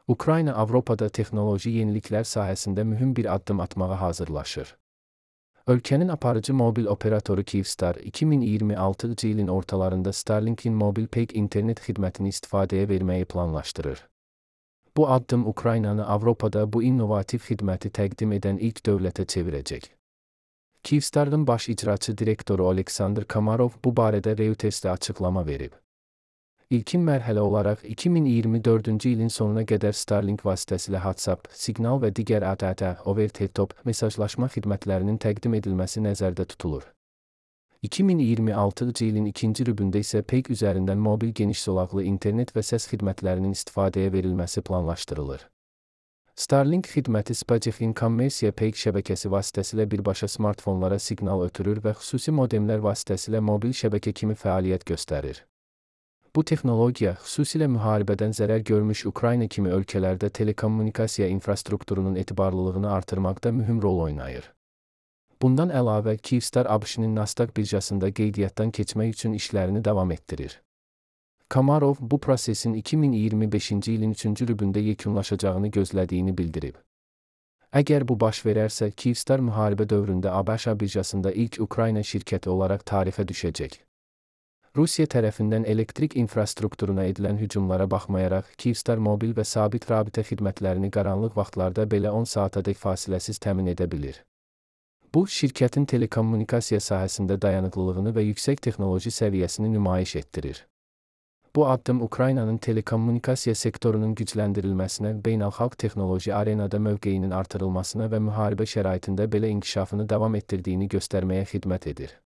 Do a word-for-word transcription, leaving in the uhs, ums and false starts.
Ukrayna Avropada texnoloji yeniliklər sahəsində mühüm bir addım atmağa hazırlaşır. Ölkənin aparıcı mobil operatoru Kyivstar iki min iyirmi altıncı ilin ortalarında Starlink'in mobil peyk internet xidmətini istifadəyə verməyi planlaşdırır. Bu addım Ukraynanı Avropada bu innovativ xidməti təqdim edən ilk dövlətə çevirəcək. Kyivstar'ın baş icraçı direktoru Oleksandr Komarov bu barədə Reuters'ə açıqlama verib. İlkin mərhələ olaraq iki min iyirmi dördüncü ilin sonuna qədər Starlink vasitəsilə WhatsApp, Signal və digər A T T over-the-top mesajlaşma xidmətlərinin təqdim edilməsi nəzərdə tutulur. iki min iyirmi altıncı ilin ikinci rübündə isə peyk üzərindən mobil geniş zolaqlı internet və səs xidmətlərinin istifadəyə verilməsi planlaşdırılır. Starlink xidməti SpaceX'in kommersiya peyk şəbəkəsi vasitəsilə birbaşa smartfonlara siqnal ötürür və xüsusi modemlər vasitəsilə mobil şəbəkə kimi fəaliyyət göstərir. Bu texnologiya xüsusilə müharibədən zərər görmüş Ukrayna kimi ölkələrdə telekommunikasiya infrastrukturunun etibarlılığını artırmaqda mühüm rol oynayır. Bundan əlavə, Kyivstar ABŞ-nin Nasdaq birjasında qeydiyyatdan keçmək üçün işlərini davam etdirir. Komarov bu prosesin iki min iyirmi beşinci ilin üçüncü rübündə yekunlaşacağını gözlədiyini bildirib. Əgər bu baş verərsə, Kyivstar müharibə dövründə ABŞ birjasında ilk Ukrayna şirkəti olaraq tarixə düşəcək. Rusiya tərəfindən elektrik infrastrukturuna edilən hücumlara baxmayaraq, Kyivstar mobil və sabit rabitə xidmətlərini qaranlıq vaxtlarda belə on saatadək fasiləsiz təmin edə bilir. Bu, şirkətin telekommunikasiya sahəsində dayanıqlılığını və yüksək texnoloji səviyyəsini nümayiş etdirir. Bu addım Ukraynanın telekommunikasiya sektorunun gücləndirilməsinə, beynəlxalq texnoloji arenada mövqeyinin artırılmasına və müharibə şəraitində belə inkişafını davam etdirdiyini göstərməyə xidmət edir.